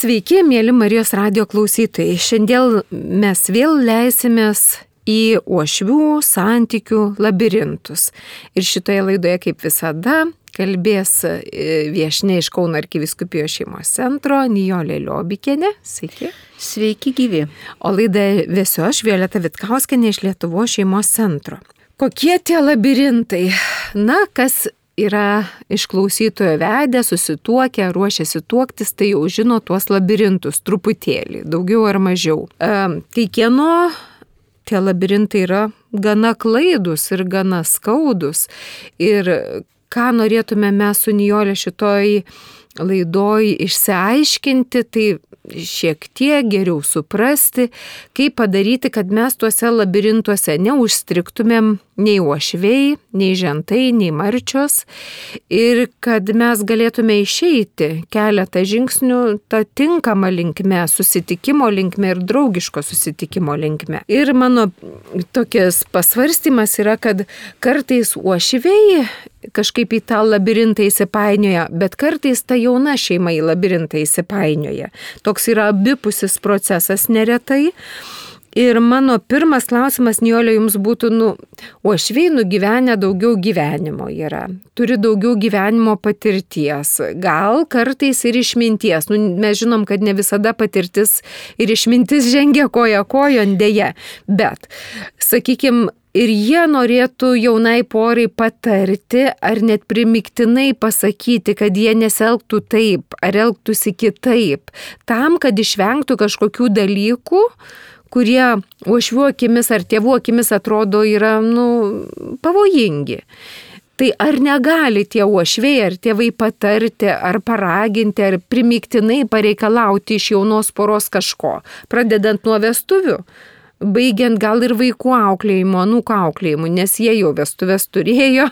Sveiki, mėly Marijos radijo klausytojai. Šiandien mes vėl leisimės į uošvių santykių labirintus. Ir šitoje laidoje, kaip visada, kalbės viešnia iš Kauno arkivyskupijos šeimos centro Nijolė Liobikienė. Sveiki. Sveiki gyvi. O laidą vesiu aš, Violeta Vitkauskienė iš Lietuvos šeimos centro. Kokie tie labirintai? Na, kas yra iš klausytojo vedę, susituokę, ruošiasi tuoktis, tai jau žino tuos labirintus truputėlį, daugiau ar mažiau. Tai kieno tie labirintai yra gana klaidus ir gana skaudus. Ir ką norėtume mes su Nijolė šitoj laidoj išsiaiškinti, tai šiek tiek geriau suprasti, kaip padaryti, kad mes tuose labirintuose neužstriktumėm nei uošviai, nei žentai, nei marčios ir kad mes galėtume išeiti keletą žingsnių tą tinkamą linkme, susitikimo linkme ir draugiško susitikimo linkme. Ir mano tokias pasvarstymas yra, kad kartais uošviai kažkaip į tą labirintą įsipainioja, bet kartais ta jauna šeima į labirintą įsipainioja. Toks yra abipusis procesas neretai. Ir mano pirmas klausimas, Nijolė, jums būtų, uošviai nugyvenę daugiau gyvenimo yra, turi daugiau gyvenimo patirties, gal kartais ir išminties. Mes žinom, kad ne visada patirtis ir išmintis žengia koja kojon dėja, bet, sakykime, ir jie norėtų jaunai porai patarti ar net primiktinai pasakyti, kad jie nesielgtų taip ar elgtųsi kitaip, tam, kad išvengtų kažkokių dalykų, kurie uošvių akimis ar tėvų akimis atrodo yra, pavojingi. Tai ar negali tie uošviai ar tėvai patarti, ar paraginti, ar primiktinai pareikalauti iš jaunos poros kažko, pradedant nuo vestuvių? Baigiant gal ir vaikų auklėjimo, anūkų auklėjimų, nes jie jau vestuves turėjo,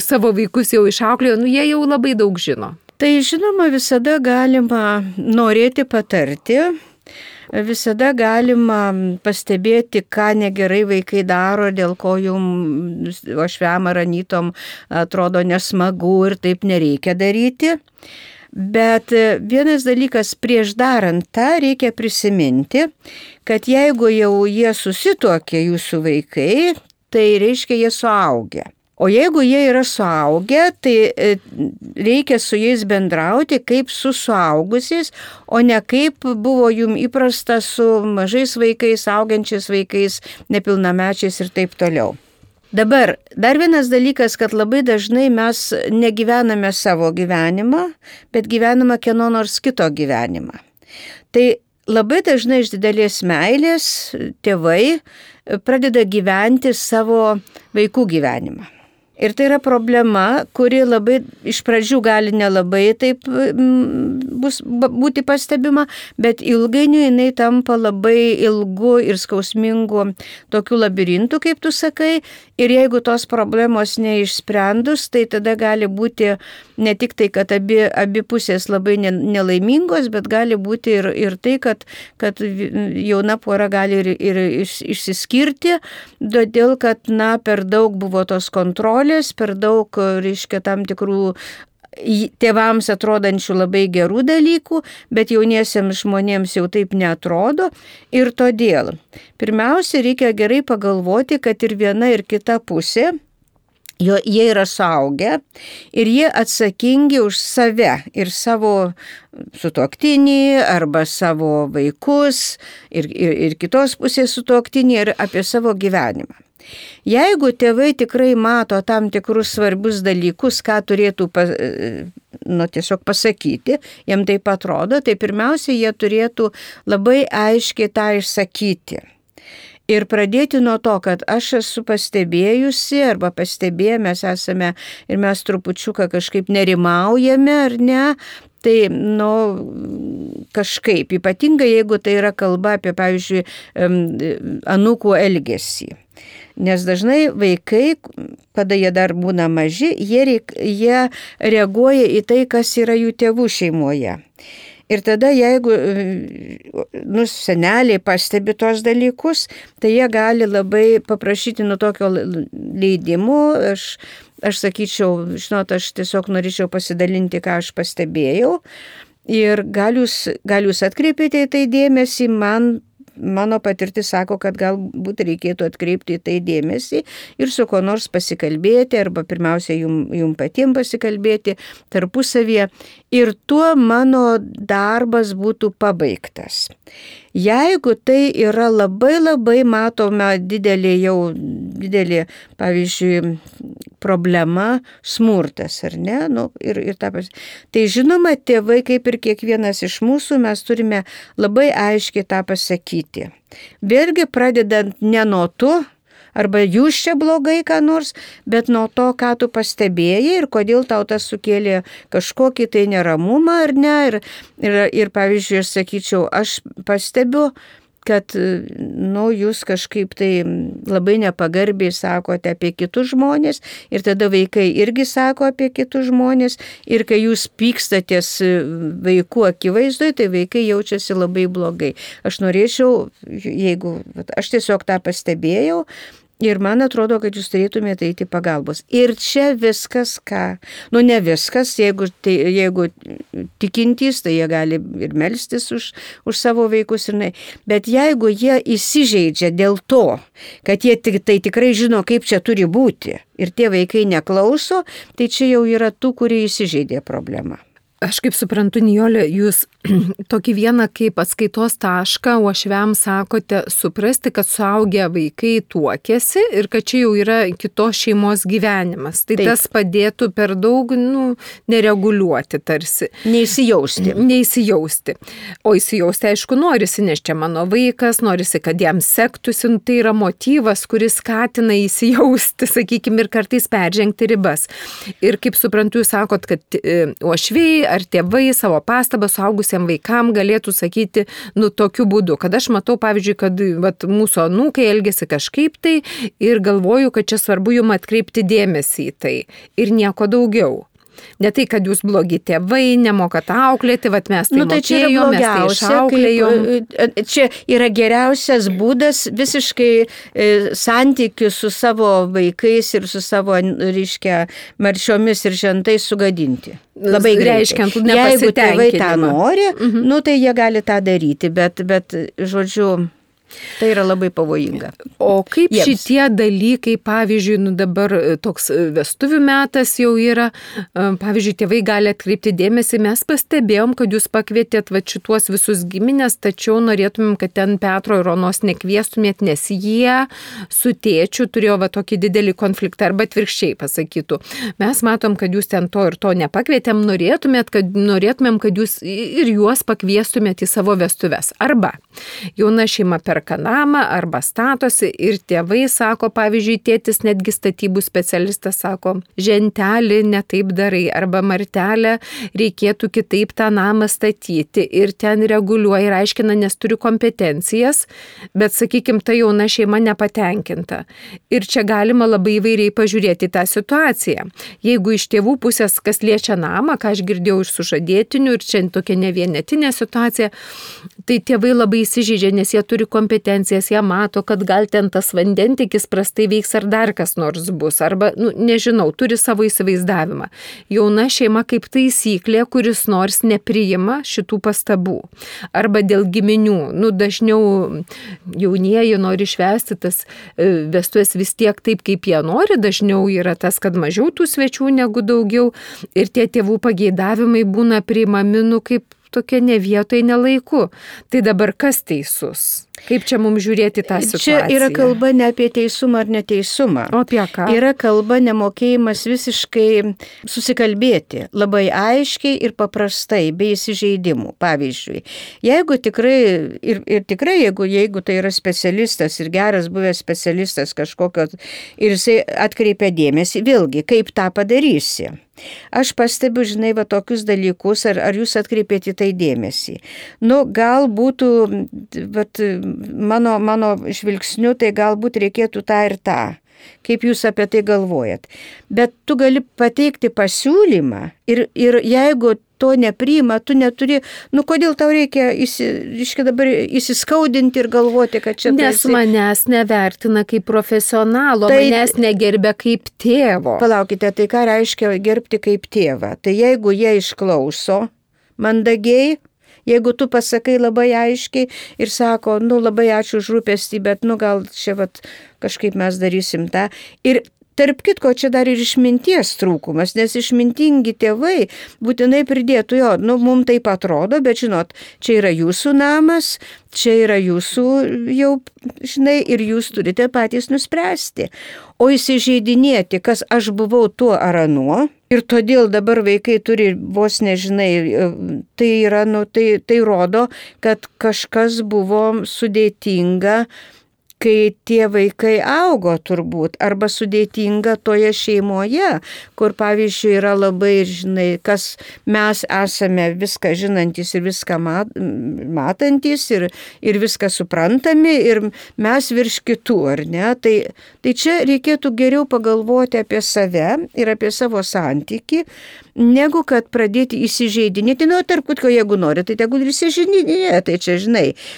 savo vaikus jau išauklėjo, jie jau labai daug žino. Tai žinoma, visada galima norėti patarti, visada galima pastebėti, ką negerai vaikai daro, dėl ko jums uošviam ar anytom atrodo nesmagu ir taip nereikia daryti. Bet vienas dalykas, prieš darant tą reikia prisiminti, kad jeigu jau jie susituokė jūsų vaikai, tai reiškia jie suaugę. O jeigu jie yra suaugę, tai reikia su jais bendrauti kaip su suaugusiais, o ne kaip buvo jums įprasta su mažais vaikais, augančiais vaikais, nepilnamečiais ir taip toliau. Dabar, dar vienas dalykas, kad labai dažnai mes negyvename savo gyvenimą, bet gyvename kieno nors kito gyvenimą. Tai labai dažnai iš didelės meilės tėvai pradeda gyventi savo vaikų gyvenimą. Ir tai yra problema, kuri labai iš pradžių gali nelabai taip būti pastebima, bet ilgainiui jinai tampa labai ilgu ir skausmingu tokiu labirintu, kaip tu sakai. Ir jeigu tos problemos neišsprendus, tai tada gali būti ne tik tai, kad abi pusės labai nelaimingos, bet gali būti ir tai, kad jauna pora gali ir išsiskirti, todėl kad per daug buvo tos kontrolės, per daug, reiškia, tam tikrų tėvams atrodančių labai gerų dalykų, bet jauniesiems žmonėms jau taip neatrodo. Ir todėl, pirmiausia, reikia gerai pagalvoti, kad ir viena ir kita pusė, jie yra suaugę ir jie atsakingi už save ir savo sutuoktinį arba savo vaikus ir kitos pusės sutuoktinį ir apie savo gyvenimą. Jeigu tėvai tikrai mato tam tikrus svarbius dalykus, ką turėtų tiesiog pasakyti, jiem taip atrodo, tai pirmiausia, jie turėtų labai aiškiai tą išsakyti. Ir pradėti nuo to, kad aš esu pastebėjusi arba pastebėję, mes esame ir mes trupučiuką kažkaip nerimaujame ar ne, tai, kažkaip, ypatingai jeigu tai yra kalba apie, pavyzdžiui, anūkų elgesį. Nes dažnai vaikai, kada jie dar būna maži, jie reaguoja į tai, kas yra jų tėvų šeimoje. Ir tada, jeigu seneliai pastebi tos dalykus, tai jie gali labai paprašyti tokio leidimo. Aš sakyčiau, aš tiesiog norėčiau pasidalinti, ką aš pastebėjau. Ir gal jūs atkreipėte į tai dėmesį, mano patirtis sako, kad galbūt reikėtų atkreipti į tai dėmesį ir su kuo nors pasikalbėti, arba pirmiausia jum patiems pasikalbėti tarpusavyje. Ir tuo mano darbas būtų pabaigtas. Jeigu tai yra labai matome didelė, pavyzdžiui, problema, smurtas, ar ne? Tai žinoma, tėvai, kaip ir kiekvienas iš mūsų, mes turime labai aiškiai tą pasakyti. Vėlgi pradedant ne nuo to, arba jūs čia blogai ką nors, bet nuo to, ką tu pastebėjai ir kodėl tau tas sukėlė kažkokį tai neramumą ar ne. Ir pavyzdžiui, aš sakyčiau, aš pastebiu, kad jūs kažkaip tai labai nepagarbiai sakote apie kitus žmonės ir tada vaikai irgi sako apie kitus žmonės ir kai jūs pykstatės vaikų akivaizdoje, tai vaikai jaučiasi labai blogai. Aš norėčiau, aš tiesiog tą pastebėjau, ir man atrodo, kad jūs turėtumėte eiti pagalbos. Ir čia viskas ne viskas, jeigu tikintys, tai jie gali ir melstis už savo vaikus. Bet jeigu jie įsižeidžia dėl to, kad jie tai tikrai žino, kaip čia turi būti, ir tie vaikai neklauso, tai čia jau yra tų, kurie įsižeidė problema. Aš kaip suprantu, Nijolė, jūs tokį vieną kaip atskaitos tašką uošviams sakote suprasti, kad suaugę vaikai tuokiasi ir kad čia jau yra kitos šeimos gyvenimas. Tai taip. Tas padėtų per daug nereguliuoti tarsi. Neįsijausti. O įsijausti, aišku, norisi, nes čia mano vaikas, norisi, kad jam sektųsi. Tai yra motyvas, kuris skatina įsijausti, sakykime, ir kartais peržengti ribas. Ir kaip suprantu, jūs sakot, kad uošviai ar tėvai savo pastabą suaugusiam vaikam galėtų sakyti, tokiu būdu, kad aš matau, pavyzdžiui, kad mūsų anūkai elgėsi kažkaip tai ir galvoju, kad čia svarbu jum atkreipti dėmesį į tai ir nieko daugiau. Ne tai, kad jūs blogi tėvai, nemokat auklėti, mes tai mokėjom, mes tai išauklėjom. Čia yra geriausias būdas visiškai santykius su savo vaikais ir su savo, marčiomis ir žentais sugadinti. Labai reiškiant, jeigu tėvai tą nori, tai jie gali tą daryti, bet žodžiu, tai yra labai pavojinga. O kaip šitie dalykai, pavyzdžiui, dabar toks vestuvių metas jau yra, pavyzdžiui, tėvai gali atkreipti dėmesį, mes pastebėjom, kad jūs pakvietėt šituos visus giminės, tačiau norėtumėm, kad ten Petro ir Onos nekviestumėt, nes jie su tėčiu turėjo tokį didelį konfliktą, arba atvirkščiai pasakytų. Mes matom, kad jūs ten to ir to nepakvietėm, norėtumėm, kad jūs ir juos pakviestumėt į savo vestuves. Arba jauna šeima perka namą arba statosi ir tėvai sako, pavyzdžiui, tėtis netgi statybų specialistas sako, žentelį netaip darai arba martelę reikėtų kitaip tą namą statyti ir ten reguliuoja ir aiškina, nes turi kompetencijas, bet, sakykime, ta jauna šeima nepatenkinta. Ir čia galima labai įvairiai pažiūrėti tą situaciją. Jeigu iš tėvų pusės, kas liečia namą, ką aš girdėjau iš sužadėtinių ir čia tokia ne vienetinė situacija, tai tėvai labai įsižeidžia, nes jie turi kompetencijas, jie mato, kad gal ten tas vandentikis prastai veiks ar dar kas nors bus, arba, nežinau, turi savo įsivaizdavimą. Jauna šeima kaip taisyklė, kuris nors nepriima šitų pastabų. Arba dėl giminių, dažniau jaunieji nori švęsti tas vestuves vis tiek taip, kaip jie nori, dažniau yra tas, kad mažiau tų svečių negu daugiau ir tie tėvų pageidavimai būna priimami, kaip tokia ne vietoje, ne laiku. Tai dabar kas teisus? Kaip čia mums žiūrėti tą situaciją? Čia yra kalba ne apie teisumą ar neteisumą. O apie ką? Yra kalba nemokėjimas visiškai susikalbėti, labai aiškiai ir paprastai, be įsižeidimų. Pavyzdžiui, jeigu tikrai, jeigu tai yra specialistas ir geras buvęs specialistas kažkokio, ir jisai atkreipia dėmesį, vėlgi, kaip tą padarysi. Aš pastebiu, tokius dalykus, ar jūs atkreipėte į tai dėmesį. Gal būtų, mano žvilgsniu, tai galbūt reikėtų tą ir tą. Kaip jūs apie tai galvojat. Bet tu gali pateikti pasiūlymą ir jeigu to nepriima, tu neturi, kodėl tau reikia dabar įsiskaudinti ir galvoti, kad čia... Nes manęs nevertina kaip profesionalo, manęs negerbia kaip tėvo. Palaukite, tai ką reiškia gerbti kaip tėvą? Tai jeigu jie išklauso mandagiai. Jeigu tu pasakai labai aiškiai ir sako, labai ačiū už rūpestį, bet gal čia kažkaip mes darysim tą. Ir tarp kitko, čia dar ir išminties trūkumas, nes išmintingi tėvai būtinai pridėtų, mums taip atrodo, bet žinot, čia yra jūsų namas, čia yra jūsų jau, ir jūs turite patys nuspręsti. O įsižeidinėti, kas aš buvau tuo ar anuo, ir todėl dabar vaikai turi vos nežinai, tai yra, tai rodo, kad kažkas buvo sudėtinga, kai tie vaikai augo turbūt, arba sudėtinga toje šeimoje, kur pavyzdžiui yra labai, kas mes esame viską žinantys ir viską matantys ir viską suprantami ir mes virš kitų, ar ne? Tai čia reikėtų geriau pagalvoti apie save ir apie savo santykį, negu kad pradėti įsižeidinėti. Tarp kitko, jeigu nori, tai tegul ir įsižeidinėja, tai čia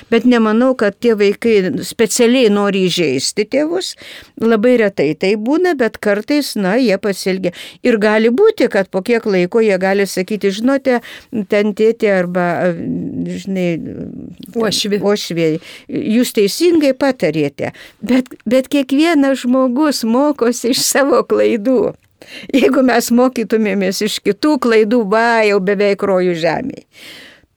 Bet nemanau, kad tie vaikai specialiai nori įžeisti tėvus. Labai retai tai būna, bet kartais, jie pasielgia. Ir gali būti, kad po kiek laiko jie gali sakyti, žinote, ten tėtė arba, uošvė, jūs teisingai patarėte. Bet kiekvienas žmogus mokosi iš savo klaidų. Jeigu mes mokytumėmės iš kitų klaidų, jau beveik rojų žemėje,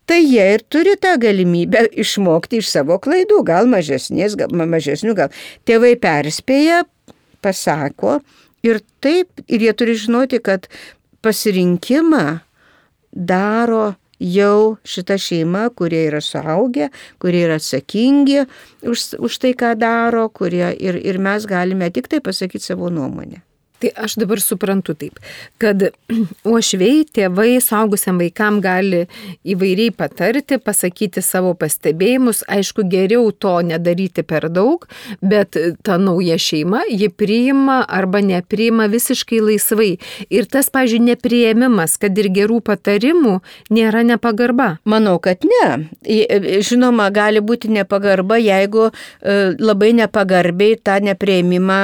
tai jie ir turi tą galimybę išmokti iš savo klaidų, gal mažesnių, gal tėvai perspėja, pasako ir taip, ir jie turi žinoti, kad pasirinkimą daro jau šita šeima, kurie yra suaugę, kurie yra atsakingi už tai, ką daro, kurie ir mes galime tik tai pasakyti savo nuomonę. Tai aš dabar suprantu taip, kad uošviai, tėvai, suaugusiam vaikam gali įvairiai patarti, pasakyti savo pastebėjimus, aišku, geriau to nedaryti per daug, bet ta nauja šeima, ji priima arba nepriima visiškai laisvai. Ir tas, pavyzdžiui, nepriėmimas, kad ir gerų patarimų, nėra nepagarba. Manau, kad ne. Žinoma, gali būti nepagarba, jeigu labai nepagarbiai tą nepriėmimą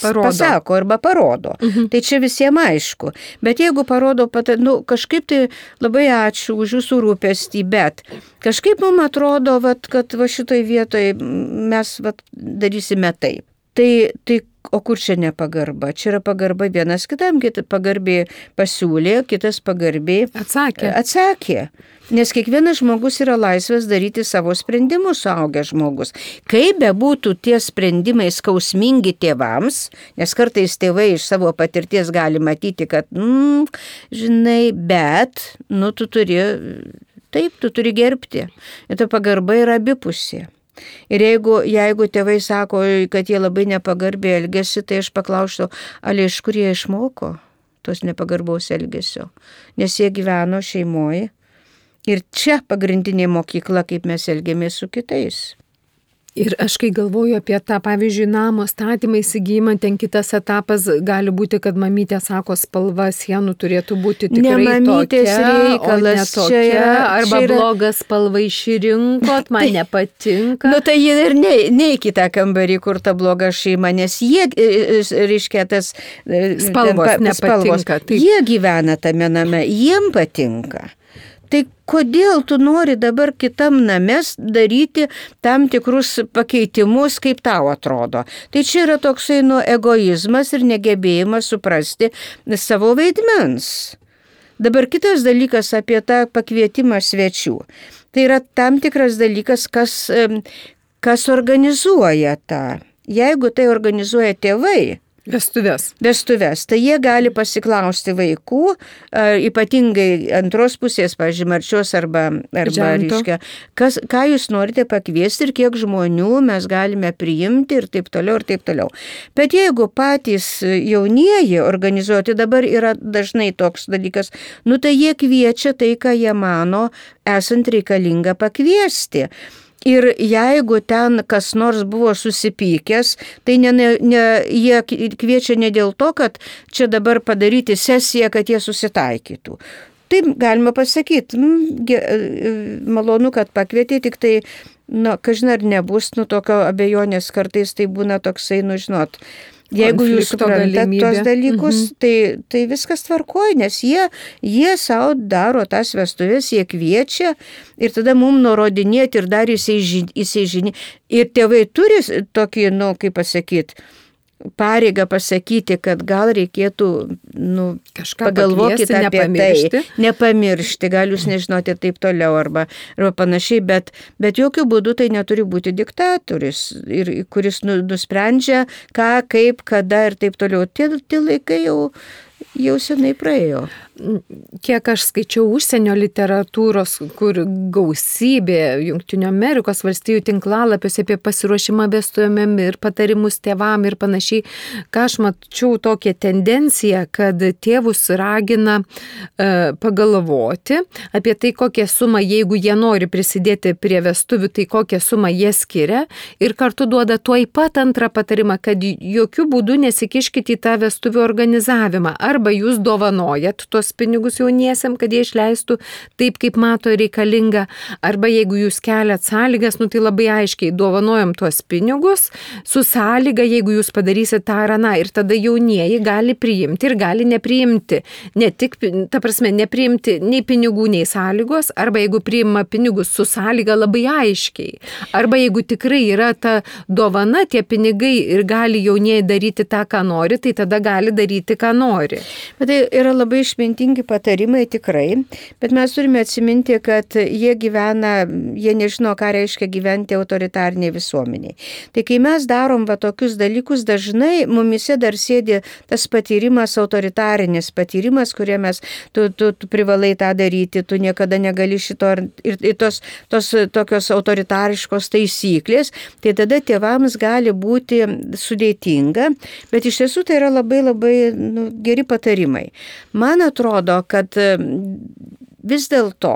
pasako arba parodo. Tai čia visiems aišku. Bet jeigu parodo, kažkaip tai labai ačiū už jūsų rūpestį, bet kažkaip mums atrodo, kad šitoj vietoje mes darysime taip. Tai o kur čia nepagarba? Čia yra pagarba vienas kitam, kitas pagarbiai pasiūlė, kitas pagarbiai atsakė. Nes kiekvienas žmogus yra laisvas daryti savo sprendimus, suaugęs žmogus. Kaip bebūtų tie sprendimai skausmingi tėvams, nes kartais tėvai iš savo patirties gali matyti, kad, bet, tu turi gerbti. Ir ta pagarba yra abipusė. Ir jeigu tėvai sako, kad jie labai nepagarbiai elgesi, tai aš paklausčiau, iš kur jie išmoko tos nepagarbaus elgesio, nes jie gyveno šeimoje. Ir čia pagrindinė mokykla, kaip mes elgiamės su kitais. Ir aš kai galvoju apie tą, pavyzdžiui, namo statymą, įsigijimą, ten kitas etapas gali būti, kad mamytė sako, spalva sienų turėtų būti tikrai tokia, reikalas, o ne tokia, arba bloga spalva išrinkot, man nepatinka. Tai jie ir ne į kitą kambarį, kur ta bloga šeima, nes jie, reiškia, tas spalvos nepatinka. Jie gyvena tame name, jiem patinka. Tai kodėl tu nori dabar kitam names daryti tam tikrus pakeitimus, kaip tau atrodo? Tai čia yra toksai egoizmas ir negebėjimas suprasti savo vaidmens. Dabar kitas dalykas apie tą pakvietimą svečių. Tai yra tam tikras dalykas, kas organizuoja tą. Jeigu tai organizuoja tėvai, Vestuves. Tai jie gali pasiklausti vaikų, ypatingai antros pusės, pavyzdžiui, marčios arba reiškia, ką jūs norite pakviesti ir kiek žmonių mes galime priimti ir taip toliau, ir taip toliau. Bet jeigu patys jaunieji organizuoti, dabar yra dažnai toks dalykas, tai jie kviečia tai, ką jie mano, esant reikalinga pakviesti. Ir jeigu ten kas nors buvo susipykęs, tai jie kviečia ne dėl to, kad čia dabar padaryti sesiją, kad jie susitaikytų. Taip galima pasakyti, malonu, kad pakvietė, tik tai, kažin ar nebus, tokio abejonės kartais tai būna toksai, Jeigu jūs suprantat tos dalykus, tai viskas tvarkoja, nes jie savo daro tas vestuvės, jie kviečia ir tada mums nurodinėti ir dar įsižinį. Ir tėvai turi tokį, kaip pasakyti, pareigą pasakyti, kad gal reikėtų pagalvokite apie tai, nepamiršti, gal jūs nežinote ir taip toliau arba panašiai, bet jokių būdų tai neturi būti diktatorius, kuris nusprendžia ką, kaip, kada ir taip toliau. Tie laikai jau senai praėjo. Kiek aš skaičiau užsienio literatūros, kur gausybė Jungtinių Amerikos valstijų tinklalapiuose apie pasiruošimą vestuvėm ir patarimus tėvam ir panašiai, ką aš mačiau tokią tendenciją, kad tėvus ragina pagalvoti apie tai, kokią sumą, jeigu jie nori prisidėti prie vestuvių, tai kokią sumą jie skiria ir kartu duoda tuoj pat antrą patarimą, kad jokių būdų nesikiškite į tą vestuvių organizavimą. Arba jūs dovanojat tuos pinigus jauniesiam, kad jie išleistų taip, kaip mato reikalinga. Arba jeigu jūs keliat sąlygas, tai labai aiškiai dovanojam tuos pinigus su sąlyga, jeigu jūs padarysit tą ar aną. Ir tada jaunieji gali priimti ir gali nepriimti. Ne tik, ta prasme, nepriimti nei pinigų, nei sąlygos. Arba jeigu priima pinigus su sąlyga labai aiškiai. Arba jeigu tikrai yra ta dovana, tie pinigai ir gali jaunieji daryti tą, ką nori, tai tada gali daryti, ką nori. Bet tai yra labai išmintingi patarimai tikrai, bet mes turime atsiminti, kad jie nežino, ką reiškia gyventi autoritariniai visuomeniai. Tai kai mes darom tokius dalykus, dažnai mumise dar sėdi tas patyrimas, autoritarinis patyrimas, kurie tu privalai tą daryti, tu niekada negali šito ir tos tokios autoritariškos taisyklės, tai tada tėvams gali būti sudėtinga, bet iš tiesų tai yra labai labai geri patarimai. Man atrodo, kad vis dėlto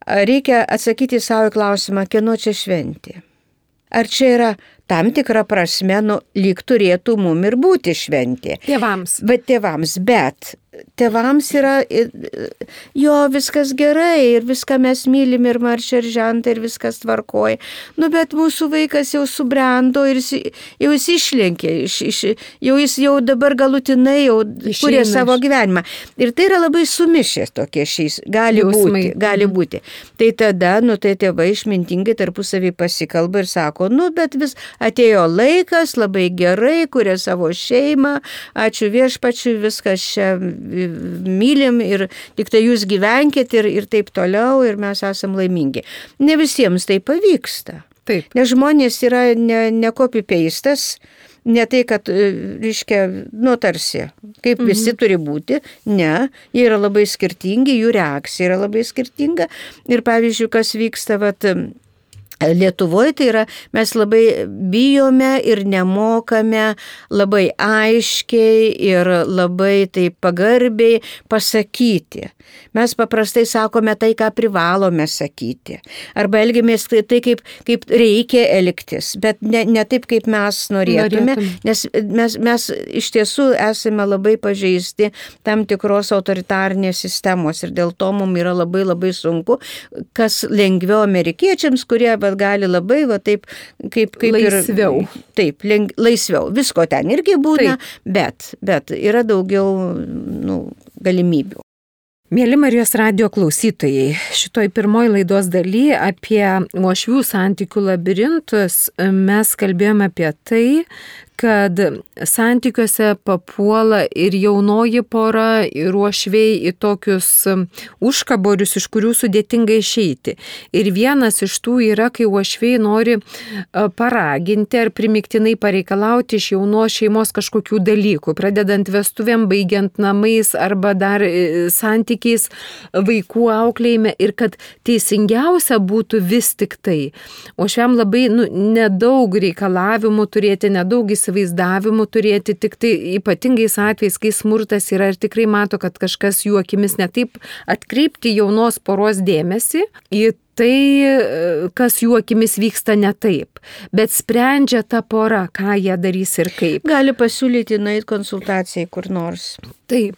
reikia atsakyti savo klausimą, kieno čia šventė. Ar čia yra tam tikra prasme, lyg turėtų mum ir būti šventė. Tėvams. Bet tėvams yra, viskas gerai ir viską mes mylim ir maršia ir žentą ir viskas tvarkoja. Bet mūsų vaikas jau subrendo ir jau jis išlenkė, jau dabar galutinai jau kuria savo gyvenimą. Ir tai yra labai sumišę tokie šiais, gali būti. Tai tada, tai tėvai išmintingai tarpusavį pasikalba ir sako, bet vis atėjo laikas, labai gerai, kuria savo šeimą, ačiū viešpačiui, viskas čia mylim ir tik tai jūs gyvenkit ir taip toliau ir mes esam laimingi. Ne visiems tai pavyksta. Taip. Nes žmonės yra ne copy-pastas, ne tai, kad, reiškia, tarsi, kaip visi turi būti. Ne, jie yra labai skirtingi, jų reakcija yra labai skirtinga. Ir pavyzdžiui, kas vyksta, Lietuvoje tai yra, mes labai bijome ir nemokame labai aiškiai ir labai taip pagarbiai pasakyti. Mes paprastai sakome tai, ką privalome sakyti. Arba elgiamės tai, kaip reikia elgtis, bet ne taip, kaip mes norėtume. Nes mes iš tiesų esame labai pažeisti tam tikros autoritarnės sistemos ir dėl to mums yra labai labai sunku, kas lengviau amerikiečiams, kurie gali labai taip, kaip laisviau. Laisviau. Visko ten irgi būna, bet yra daugiau galimybių. Mėly Marijos radijo klausytojai, šitoj pirmoji laidos daly apie uošvių santykių labirintus mes kalbėjome apie tai, kad santykiuose papuola ir jaunoji pora, ir uošviai į tokius užkaborius, iš kurių sudėtinga išeiti. Ir vienas iš tų yra, kai uošviai nori paraginti ar primiktinai pareikalauti iš jaunos šeimos kažkokių dalykų, pradedant vestuvėm, baigiant namais arba dar santykiais vaikų auklėjime, ir kad teisingiausia būtų vis tik tai. Uošviam labai nedaug reikalavimų turėti, nedaug įsivaizdavimų turėti, tik tai ypatingais atvejais, kai smurtas yra ir tikrai mato, kad kažkas jų akimis netaip, atkreipti jaunos poros dėmesį į tai, kas jų akimis vyksta ne taip. Bet sprendžia ta pora, ką jie darys ir kaip. Gali pasiūlyti nueiti konsultacijai kur nors. Taip.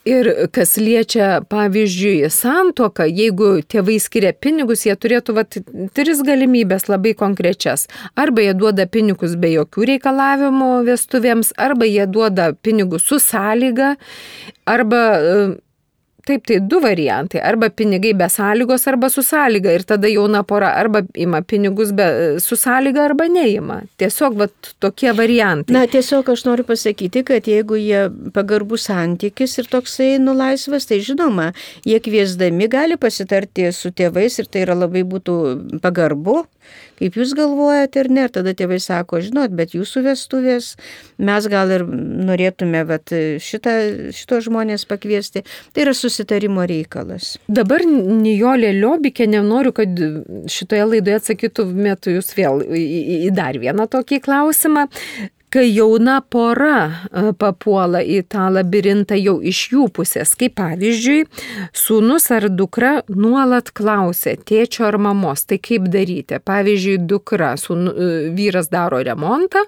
Ir kas liečia, pavyzdžiui, santuoką, jeigu tėvai skiria pinigus, jie turėtų 3 galimybės labai konkrečias. Arba jie duoda pinigus be jokių reikalavimų vestuvėms, arba jie duoda pinigus su sąlyga, arba... Taip, tai 2 variantai. Arba pinigai be sąlygos, arba su sąlyga. Ir tada jauna pora arba ima pinigus su sąlyga, arba neima. Tiesiog tokie variantai. Na, tiesiog aš noriu pasakyti, kad jeigu jie pagarbus santykis ir toksai laisvas, tai žinoma, jie kviesdami gali pasitarti su tėvais ir tai yra labai būtų pagarbu. Kaip jūs galvojate ir ne, ir tada tėvai sako, žinot, bet jūsų vestuvės, mes gal ir norėtume šito žmonės pakviesti. Tai yra susitarimo reikalas. Dabar Nijolė Liobikė, nenoriu, kad šitoje laidoje atsakytumėte jūs vėl į dar vieną tokį klausimą. Kai jauna pora papuola į tą labirintą jau iš jų pusės, kaip pavyzdžiui, sūnus ar dukra nuolat klausia tėčio ar mamos, tai kaip daryti? Pavyzdžiui, dukra, vyras daro remontą,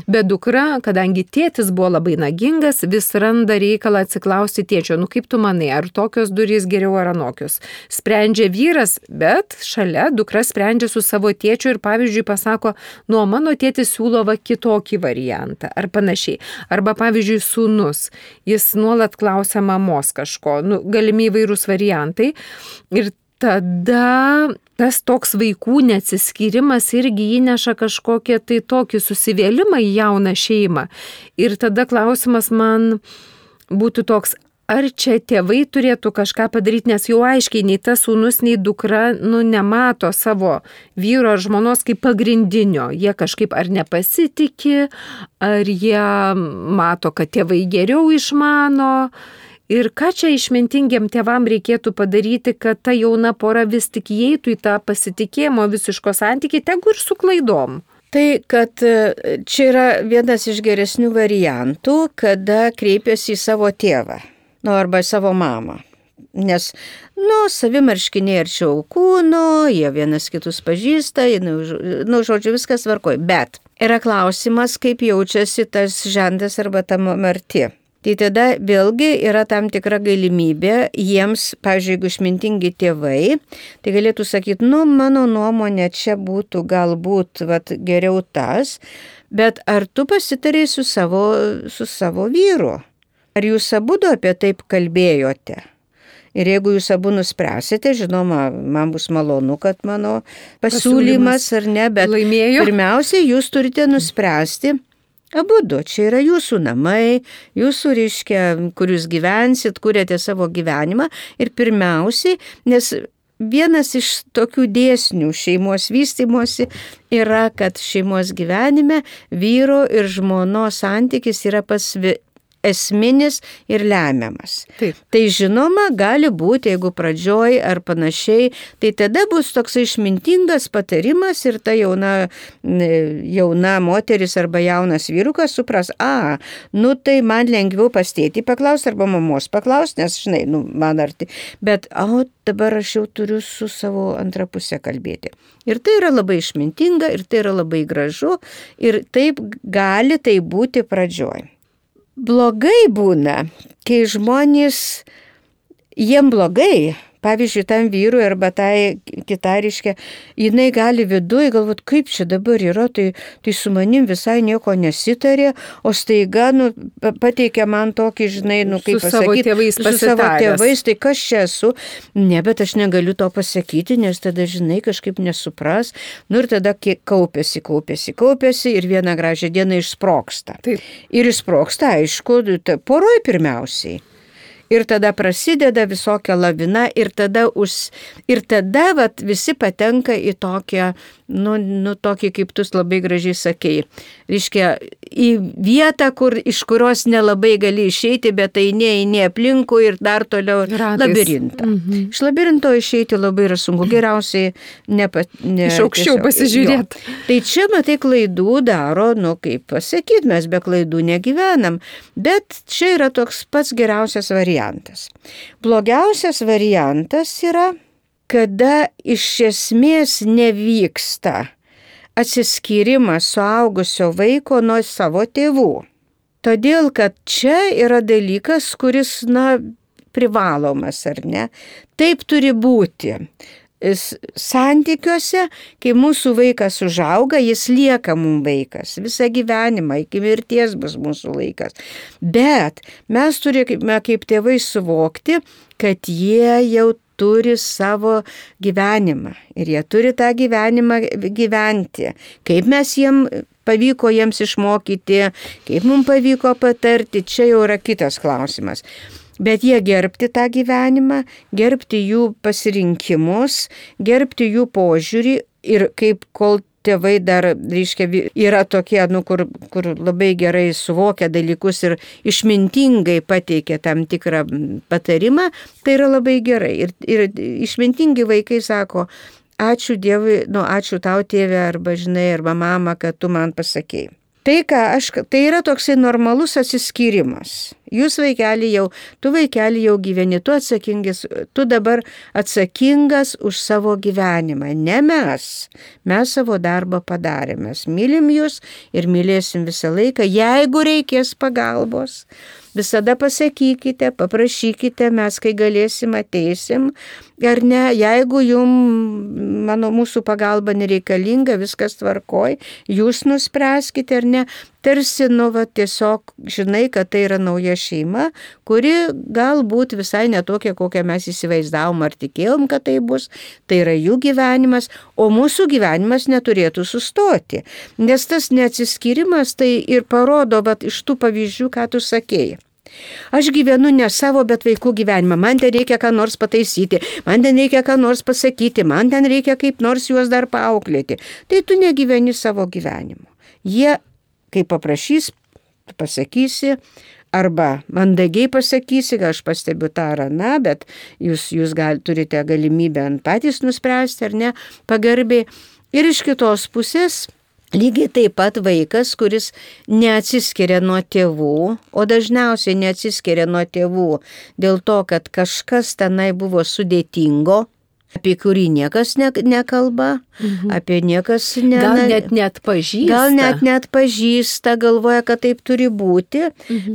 bet dukra, kadangi tėtis buvo labai nagingas, vis randa reikalą atsiklausti tėčio, kaip tu manai, ar tokios durys geriau ar anokios? Sprendžia vyras, bet šalia dukra sprendžia su savo tėčiu ir pavyzdžiui pasako, mano tėtis siūlo kitokį variantą. Ar panašiai. Arba, pavyzdžiui, sūnus, jis nuolat klausia mamos kažko, galimi įvairūs variantai. Ir tada tas toks vaikų neatsiskyrimas irgi įneša kažkokią tai tokį susivėlimą į jauną šeimą. Ir tada klausimas man būtų toks, ar čia tėvai turėtų kažką padaryti, nes jau aiškiai nei tas sūnus, nei dukra nemato savo vyro ar žmonos kaip pagrindinio. Jie kažkaip ar nepasitikė, ar jie mato, kad tėvai geriau išmano. Ir ką čia išmintingiem tėvam reikėtų padaryti, kad ta jauna pora vis tik įeitų į tą pasitikėjimo visiško santykį, tegu ir su klaidom. Tai, kad čia yra vienas iš geresnių variantų, kada kreipiasi į savo tėvą. Arba savo mamą. Nes, savimarškiniai arčiau kūno, jie vienas kitus pažįsta, žodžiu, viskas tvarkoj. Bet yra klausimas, kaip jaučiasi tas žentas arba ta marti. Tai tada vėlgi yra tam tikra galimybė jiems, pavyzdžiui, jeigu išmintingi tėvai, tai galėtų sakyti, mano nuomonė čia būtų galbūt geriau tas, bet ar tu pasitarei su savo vyru? Ar jūs abudu apie taip kalbėjote? Ir jeigu jūs abu nuspręsite, žinoma, man bus malonu, kad mano pasiūlymas ar ne, bet laimėjo. Pirmiausia, jūs turite nuspręsti abudu. Čia yra jūsų namai, jūsų kur jūs gyvensit, kuriate savo gyvenimą. Ir pirmiausiai, nes vienas iš tokių dėsnių šeimos vystymosi yra, kad šeimos gyvenime vyro ir žmonos santykis yra esminis ir lemiamas. Taip. Tai žinoma, gali būti, jeigu pradžioj ar panašiai, tai tada bus toks išmintingas patarimas ir ta jauna moteris arba jaunas vyrukas supras, tai man lengviau pas tėtį paklausti arba mamos paklausti, nes, žinai, man arti. Bet, dabar aš jau turiu su savo antra pusė kalbėti. Ir tai yra labai išmintinga, ir tai yra labai gražu, ir taip gali tai būti pradžioj. Blogai būna, kai žmonės, jiem blogai, pavyzdžiui, tam vyrui arba tai kitariškė, jinai gali viduje galvoti, kaip čia dabar yra, tai su manim visai nieko nesitarė, o staiga pateikia man tokį, žinai, kaip pasakyti, su savo tėvais, tai kas čia esu, ne, bet aš negaliu to pasakyti, nes tada, žinai, kažkaip nesupras, ir tada kaupiasi ir vieną gražią dieną išsprogsta. Taip. Ir išsprogsta, aišku, poroj pirmiausiai. Ir tada prasideda visokia lavina ir tada visi patenka į tokią, tokį, kaip tu labai gražiai sakei. Reiškia, į vietą, iš kurios nelabai gali išeiti, bet eini aplinkui ir dar toliau labirintą. Mhm. Iš labirinto išeiti labai yra sunku, geriausiai iš aukščiau pasižiūrėti. Tai čia, matai, klaidų daro, kaip pasakyti, mes be klaidų negyvenam, bet čia yra toks pats geriausias variantas. Blogiausias variantas yra, kada iš esmės nevyksta atsiskyrimas suaugusio vaiko nuo savo tėvų. Todėl, kad čia yra dalykas, kuris, privalomas, ar ne? Taip turi būti. Santykiuose, kai mūsų vaikas užauga, jis lieka mums vaikas. Visą gyvenimą, iki mirties bus mūsų vaikas. Bet mes turime kaip tėvai suvokti, kad jie jau turi savo gyvenimą. Ir jie turi tą gyvenimą gyventi. Kaip mes pavyko jiems išmokyti, kaip mums pavyko patarti, čia jau yra kitas klausimas. Bet jie gerbti tą gyvenimą, gerbti jų pasirinkimus, gerbti jų požiūrį ir kaip kol tėvai dar, yra tokie, kur labai gerai suvokia dalykus ir išmintingai pateikia tam tikrą patarimą, tai yra labai gerai. Ir išmintingi vaikai sako, ačiū Dievui, ačiū tau tėve arba mama, kad tu man pasakėjai. Tai yra toksai normalus atsiskyrimas. Tu vaikeli jau gyveni, tu dabar atsakingas už savo gyvenimą. Ne mes. Mes savo darbą padarėme. Mes mylim jūs ir mylėsim visą laiką. Jeigu reikės pagalbos, visada pasakykite, paprašykite, mes kai galėsim ateisim. Ar ne, jeigu mūsų pagalba nereikalinga, viskas tvarkoj, jūs nuspręskite ar ne. Tarsi, tiesiog žinai, kad tai yra nauja šeima, kuri galbūt visai netokia, kokią mes įsivaizdavom ar tikėjom, kad tai bus. Tai yra jų gyvenimas, o mūsų gyvenimas neturėtų sustoti. Nes tas neatsiskyrimas tai ir parodo iš tų pavyzdžių, ką tu sakėjai. Aš gyvenu ne savo, bet vaikų gyvenimą. Man ten reikia ką nors pataisyti, man ten reikia ką nors pasakyti, man ten reikia kaip nors juos dar paauklėti. Tai tu negyveni savo gyvenimu. Jie, kai paprašys, pasakysi, arba mandagiai pasakysi, kad aš pastebiu tą ar aną, bet jūs turite galimybę patys nuspręsti ar ne, pagarbiai. Ir iš kitos pusės, lygiai taip pat vaikas, kuris neatsiskiria nuo tėvų, o dažniausiai neatsiskiria nuo tėvų dėl to, kad kažkas tenai buvo sudėtingo, apie kurį niekas nekalba, apie niekas gal net neatpažįsta. Gal net neatpažįsta, galvoja, kad taip turi būti,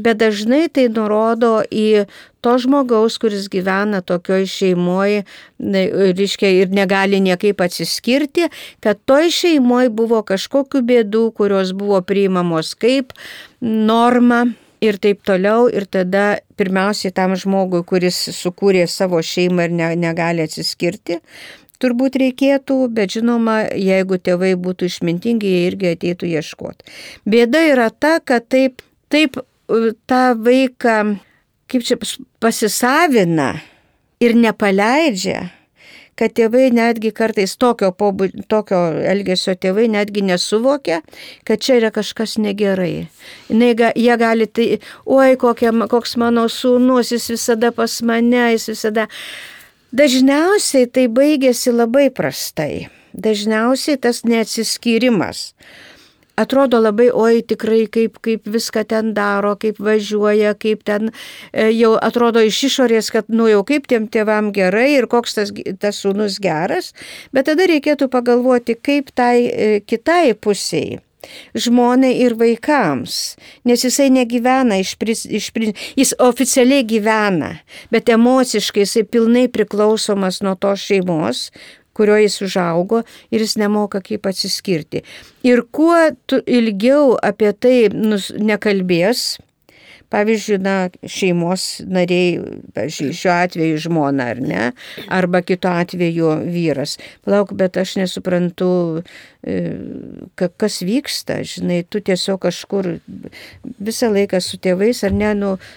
bet dažnai tai nurodo į to žmogaus, kuris gyvena tokioj šeimoje, ir negali niekaip atsiskirti, kad toj šeimoje buvo kažkokių bėdų, kurios buvo priimamos kaip norma. Ir taip toliau, ir tada pirmiausiai tam žmogui, kuris sukūrė savo šeimą ir negali atsiskirti, turbūt reikėtų, bet žinoma, jeigu tėvai būtų išmintingi, jie irgi ateitų ieškoti. Bėda yra ta, kad taip tą vaiką pasisavina ir nepaleidžia, kad tėvai netgi kartais tokio elgesio tėvai netgi nesuvokia, kad čia yra kažkas negerai. Jie gali tai, koks mano sūnus, jis visada pas mane, jis visada. Dažniausiai tai baigėsi labai prastai. Dažniausiai tas neatsiskyrimas atrodo labai, tikrai kaip viską ten daro, kaip važiuoja, kaip ten jau atrodo iš išorės, kad jau kaip tiem tėvam gerai ir koks tas sūnus geras, bet tada reikėtų pagalvoti, kaip tai kitai pusiai, žmonai ir vaikams, nes jisai negyvena jis oficialiai gyvena, bet emociškai jisai pilnai priklausomas nuo tos šeimos, kurioje jis užaugo ir jis nemoka kaip atsiskirti. Ir kuo tu ilgiau apie tai nekalbės, pavyzdžiui, šeimos nariai, šiuo atveju žmona ar ne, arba kitu atveju vyras. Palauk, bet aš nesuprantu, kas vyksta, žinai, tu tiesiog kažkur visą laiką su tėvais, ar ne,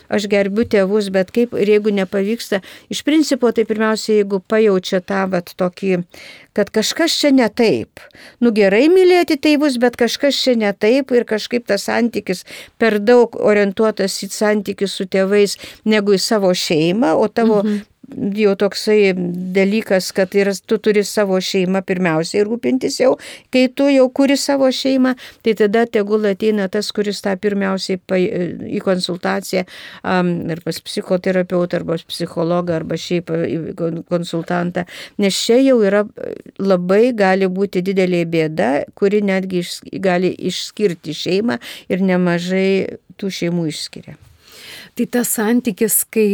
aš gerbiu tėvus, bet kaip, ir jeigu nepavyksta, iš principo, tai pirmiausia, jeigu pajaučia tą tokį, kad kažkas čia ne taip. Gerai mylėti tėvus, bet kažkas čia ne taip ir kažkaip tas santykis per daug orientuotas į santykius su tėvais negu į savo šeimą, o tavo jau toksai dalykas, kad tu turi savo šeimą pirmiausiai rūpintis jau, kai tu jau kuri savo šeimą, tai tada tegul ateina tas, kuris tą pirmiausiai į konsultaciją ar pas psichoterapeutą, arba psichologą, arba šiaip konsultantą, nes čia jau yra labai gali būti didelė bėda, kuri netgi gali išskirti šeimą ir nemažai tų šeimų išskiria. Tai tas santykis, kai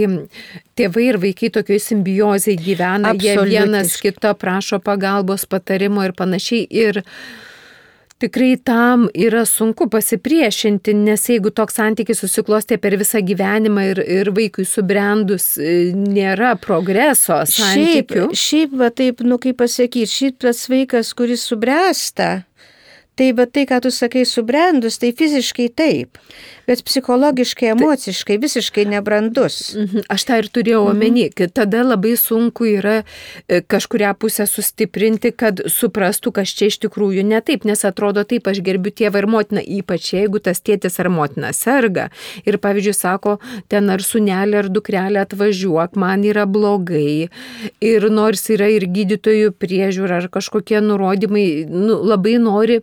tėvai ir vaikai tokioj simbiozėje gyvena, jie vienas kito prašo pagalbos, patarimo ir panašiai. Ir tikrai tam yra sunku pasipriešinti, nes jeigu toks santykis susiklostė per visą gyvenimą ir vaikui subrendus nėra progreso santykių. Šiaip va taip, kaip pasakyti, šitas vaikas, kuris subręsta, tai ką tu sakai subrendus, tai fiziškai taip, bet psichologiškai, emociškai visiškai nebrandus. Aš tą ir turėjau omeny, kad tada labai sunku yra kažkurią pusę sustiprinti, kad suprastų, kas čia iš tikrųjų ne taip, nes atrodo taip, aš gerbiu tėvą ir motiną, ypač jeigu tas tėtis ar motina serga. Ir pavyzdžiui, sako, ten ar sūnelė ar dukrelė atvažiuok, man yra blogai. Ir nors yra ir gydytojų priežiūra ar kažkokie nurodymai, labai nori,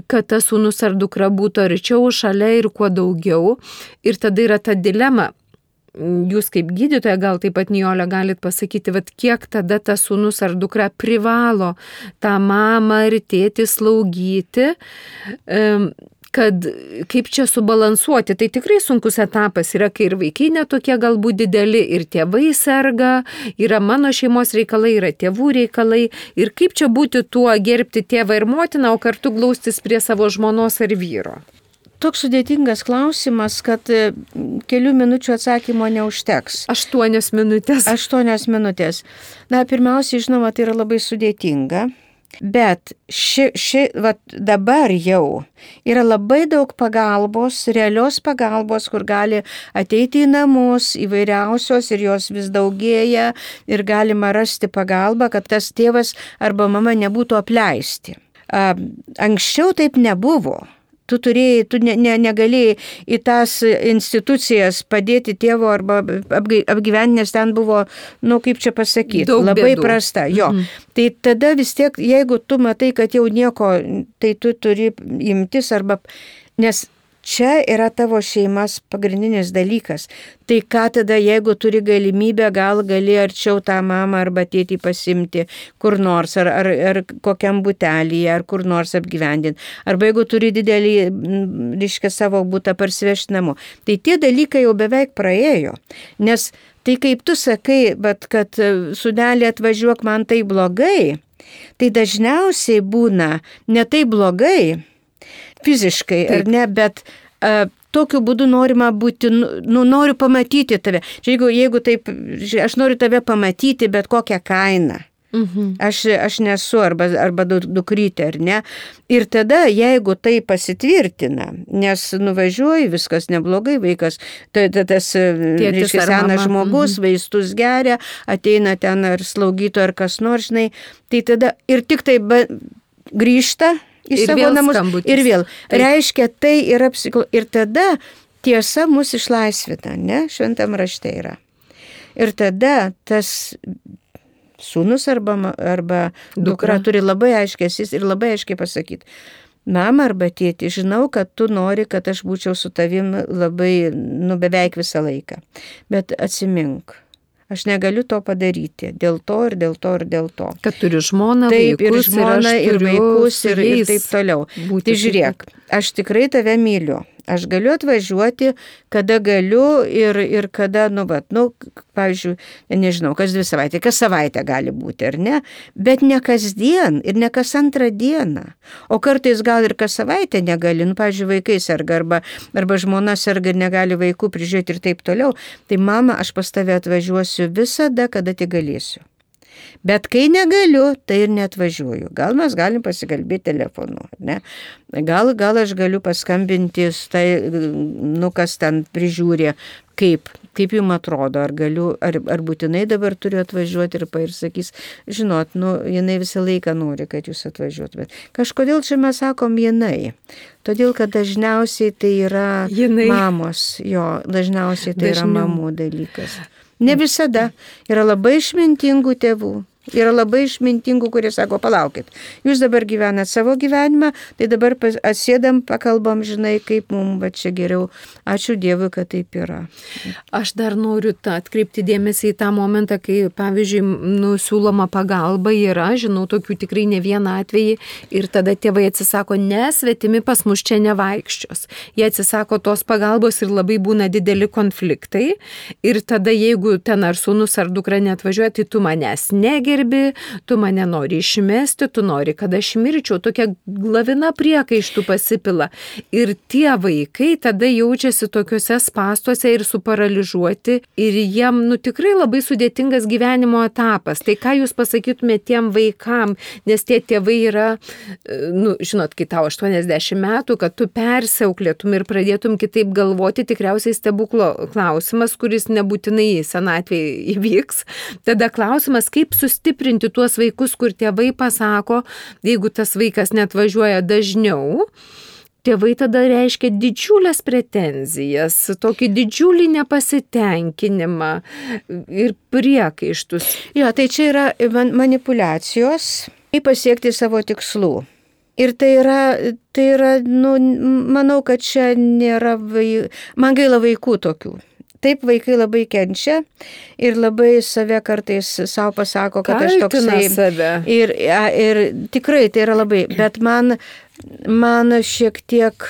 kad tas sūnus ar dukra būtų arčiau, šalia ir kuo daugiau. Ir tada yra ta dilema. Jūs kaip gydytoja, gal taip pat Nijolė galit pasakyti, kiek tada tas sūnus ar dukra privalo tą mamą ir tėtį slaugyti, kad kaip čia subalansuoti. Tai tikrai sunkus etapas yra, kai ir vaikai netokie galbūt dideli, ir tėvai serga, yra mano šeimos reikalai, yra tėvų reikalai. Ir kaip čia būti tuo gerbti tėvą ir motiną, o kartu glaustis prie savo žmonos ar vyro? Toks sudėtingas klausimas, kad kelių minučių atsakymo neužteks. 8 minutės. 8 minutės. Pirmiausiai, žinoma, tai yra labai sudėtinga. Bet dabar jau yra labai daug pagalbos, realios pagalbos, kur gali ateiti į namus įvairiausios ir jos vis daugėja ir galima rasti pagalbą, kad tas tėvas arba mama nebūtų apleisti. Anksčiau taip nebuvo. Tu negalėjai į tas institucijas padėti tėvo arba apgyventi, nes ten buvo, kaip čia pasakyti, labai prasta. Jo. Tai tada vis tiek, jeigu tu matai, kad jau nieko, tai tu turi imtis arba, nes čia yra tavo šeimas pagrindinis dalykas. Tai ką tada, jeigu turi galimybę, gal gali arčiau tą mamą arba tėtį pasimti kur nors, ar kokiam butelyje, ar kur nors apgyvendinti. Arba jeigu turi didelį, savo butą parsivežti namo. Tai tie dalykai jau beveik praėjo. Nes tai kaip tu sakai, bet kad sūnelį atvažiuok, man tai blogai, tai dažniausiai būna ne tai blogai, fiziškai, ar ne, bet tokiu būdu norima būti, noriu pamatyti tave. Jeigu taip, aš noriu tave pamatyti, bet kokią kainą. Aš nesu arba dukrytė, ar ne. Ir tada, jeigu tai pasitvirtina, nes nuvažiuoji, viskas neblogai, vaikas, tas senas žmogus, vaistus geria, ateina ten ar slaugyto, ar kas nors, žinai, tai tada ir tik tai grįžta į savo namus skambutis. Ir vėl. Taip. Reiškia, tai yra ir tada tiesa mus išlaisvina, ne? Šventam rašte yra. Ir tada tas sūnus arba dukra turi labai aiškiai ir labai aiškiai pasakyti. Mama arba tėti, žinau, kad tu nori, kad aš būčiau su tavim labai, beveik visą laiką. Bet atsimink. Aš negaliu to padaryti. Dėl to ir dėl to ir dėl to. Kad turiu žmoną, taip, vaikus, ir žmoną, ir vaikus, ir taip toliau. Tai žiūrėk, aš tikrai tave myliu. Aš galiu atvažiuoti, kada galiu ir kada, pavyzdžiui, nežinau, kas 2 savaitės, kas savaitę gali būti, ar ne? Bet ne kasdien ir ne kas antrą dieną. O kartais gal ir kas savaitę negali, pavyzdžiui, vaikai serga arba žmona serga ir negali vaikų prižiūrėti ir taip toliau. Tai mama, aš pas tave atvažiuosiu visada, kada tik galėsiu. Bet kai negaliu, tai ir neatvažiuoju. Gal mes galim pasikalbėti telefonu, ne? Gal aš galiu paskambinti, kas ten prižiūrė, kaip jums atrodo, ar būtinai dabar turiu atvažiuoti ir sakys, žinot, jinai visą laiką nori, kad jūs atvažiuotumėt. Kažkodėl čia mes sakom jinai. Todėl, kad dažniausiai tai yra mamos, dažniausiai tai yra mamų dalykas. Ne visada. Yra labai išmintingų tėvų. Yra labai išmintingų, kurie sako, palaukit, jūs dabar gyvenat savo gyvenimą, tai dabar atsėdam, pakalbam, žinai, kaip mums va čia geriau. Ačiū Dievui, kad taip yra. Aš dar noriu atkreipti dėmesį į tą momentą, kai, pavyzdžiui, siūloma pagalba yra, žinau, tokių tikrai ne vieną atvejį, ir tada tėvai atsisako, svetimi pas mus čia nevaikščios. Jie atsisako tos pagalbos ir labai būna dideli konfliktai. Ir tada, jeigu ten ar sūnus ar dukra neatvažiuoja, tai tu manęs negerbi, tu mane nori išmesti, tu nori, kad aš mirčiau, tokia lavina priekaištų pasipila. Ir tie vaikai tada jaučiasi tokiuose spąstuose ir suparaližuoti, ir jiem tikrai labai sudėtingas gyvenimo etapas. Tai ką jūs pasakytumėte tiem vaikam, nes tie tėvai yra, žinot, kai tau 80 metų, kad tu persiauklėtum ir pradėtum kitaip galvoti, tikriausiai stebuklo klausimas, kuris nebūtinai senatvėje įvyks. Tada klausimas, kaip sustiprinti tuos vaikus, kur tėvai pasako, jeigu tas vaikas neatvažiuoja dažniau, tėvai tada reiškia didžiulės pretenzijas, tokį didžiulį nepasitenkinimą ir priekaištus. Jo, tai čia yra manipulacijos, kaip pasiekti savo tikslų. Ir tai yra, manau, kad čia nėra, man gaila vaikų tokių. Taip, vaikai labai kenčia ir labai save kartais savo pasako, kad aš toksai. Ir tikrai tai yra labai, bet man šiek tiek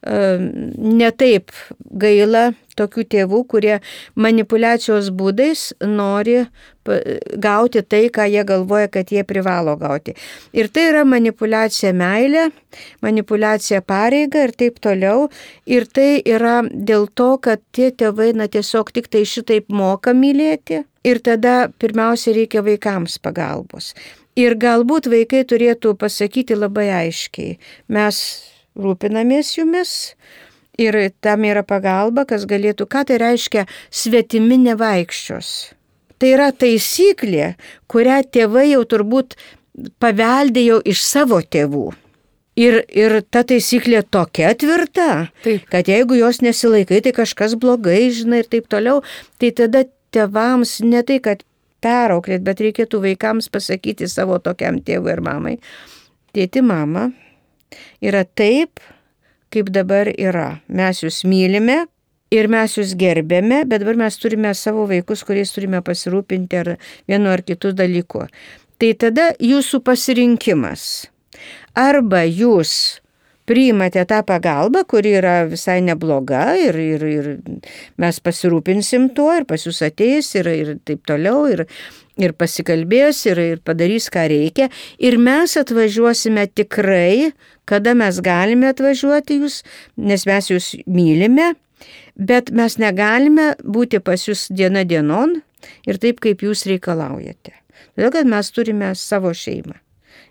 netaip gaila tokių tėvų, kurie manipulacijos būdais nori gauti tai, ką jie galvoja, kad jie privalo gauti. Ir tai yra manipulacija meilė, manipulacija pareiga ir taip toliau. Ir tai yra dėl to, kad tie tėvai tiesiog tik tai šitaip moka mylėti. Ir tada pirmiausia reikia vaikams pagalbos. Ir galbūt vaikai turėtų pasakyti labai aiškiai, mes rūpinamės jumis ir tam yra pagalba, kas galėtų, ką tai reiškia svetimi nevaikščios. Tai yra taisyklė, kurią tėvai jau turbūt paveldėjo iš savo tėvų. Ir ta taisyklė tokia tvirta, taip, kad jeigu jos nesilaikai, tai kažkas blogai, žinai, ir taip toliau, tai tada tėvams ne tai, kad perauklėt, bet reikėtų vaikams pasakyti savo tokiam tėvui ir mamai. Tėti, mama, yra taip, kaip dabar yra. Mes jūs mylime ir mes jūs gerbėme, bet dabar mes turime savo vaikus, kuriais turime pasirūpinti ar vienu ar kitu dalyku. Tai tada jūsų pasirinkimas. Arba jūs priimate tą pagalbą, kuri yra visai nebloga ir mes pasirūpinsim tuo ir pas jūs ateis ir taip toliau ir pasikalbės ir padarys, ką reikia. Ir mes atvažiuosime tikrai, kada mes galime atvažiuoti jūs, nes mes jūs mylime, bet mes negalime būti pas jūs diena dienon ir taip, kaip jūs reikalaujate. Todėl, kad mes turime savo šeimą.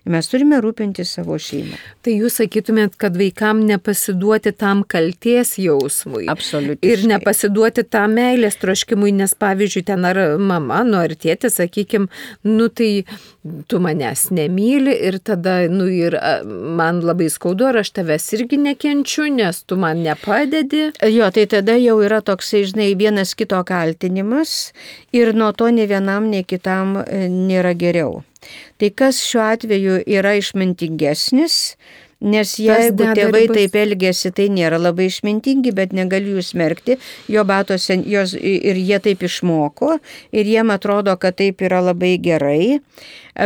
Mes turime rūpinti savo šeimą. Tai jūs sakytumėt, kad vaikam nepasiduoti tam kaltės jausmui. Absoliutiškai. Ir nepasiduoti tam meilės troškimui, nes pavyzdžiui, ten ar mama, ar tėtis, sakykime, tai tu manęs nemyli ir tada, ir man labai skaudu, ar aš tavęs irgi nekenčiu, nes tu man nepadedi. Jo, tai tada jau yra toksai, žinai, vienas kito kaltinimas ir nuo to ne vienam, ne kitam nėra geriau. Tai kas šiuo atveju yra išmintingesnis, nes jeigu tėvai taip elgėsi, tai nėra labai išmintingi, bet negaliu jų smerkti, jo batose ir jie taip išmoko ir jiem atrodo, kad taip yra labai gerai,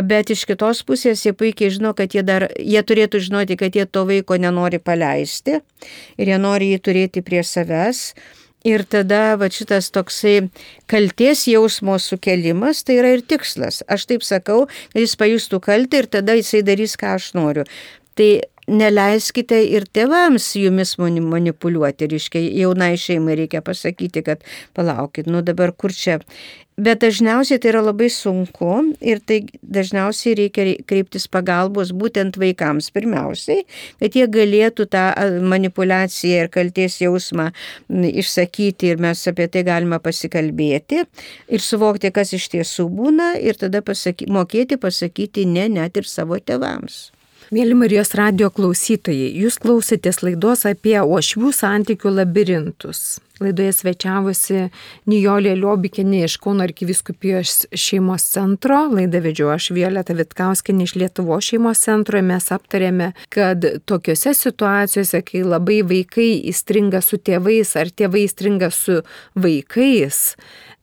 bet iš kitos pusės jie puikiai žino, kad jie turėtų žinoti, kad jie to vaiko nenori paleisti ir jie nori jį turėti prie savęs. Ir tada šitas toksai kaltės jausmo sukelimas, tai yra ir tikslas. Aš taip sakau, kad jis pajustų kaltę ir tada jisai darys, ką aš noriu. Tai neleiskite ir tėvams jumis manipuliuoti. Reiškia, jaunai šeimai reikia pasakyti, kad palaukit, dabar kur čia. Bet dažniausiai tai yra labai sunku ir tai dažniausiai reikia kreiptis pagalbos būtent vaikams pirmiausiai, kad jie galėtų tą manipulaciją ir kaltės jausmą išsakyti ir mes apie tai galime pasikalbėti ir suvokti, kas iš tiesų būna ir tada mokėti pasakyti ne net ir savo tėvams. Mėly Marijos radijo klausytojai, jūs klausėtės laidos apie uošvių santykių labirintus. Laidoje svečiavosi Nijolė Liobikienė iš Kauno arkivyskupijos šeimos centro. Laidą vedžiau aš, Violeta Vitkauskienė iš Lietuvos šeimos centro. Mes aptarėme, kad tokiose situacijose, kai labai vaikai įstringa su tėvais ar tėvai įstringa su vaikais,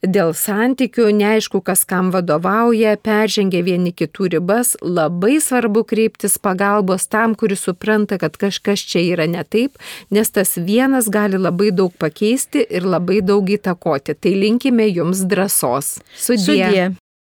dėl santykių, neaišku, kas kam vadovauja, peržengia vieni kitų ribas, labai svarbu kreiptis pagalbos tam, kuris supranta, kad kažkas čia yra ne taip, nes tas vienas gali labai daug pakeisti ir labai daug įtakoti. Tai linkime jums drąsos. Sudie.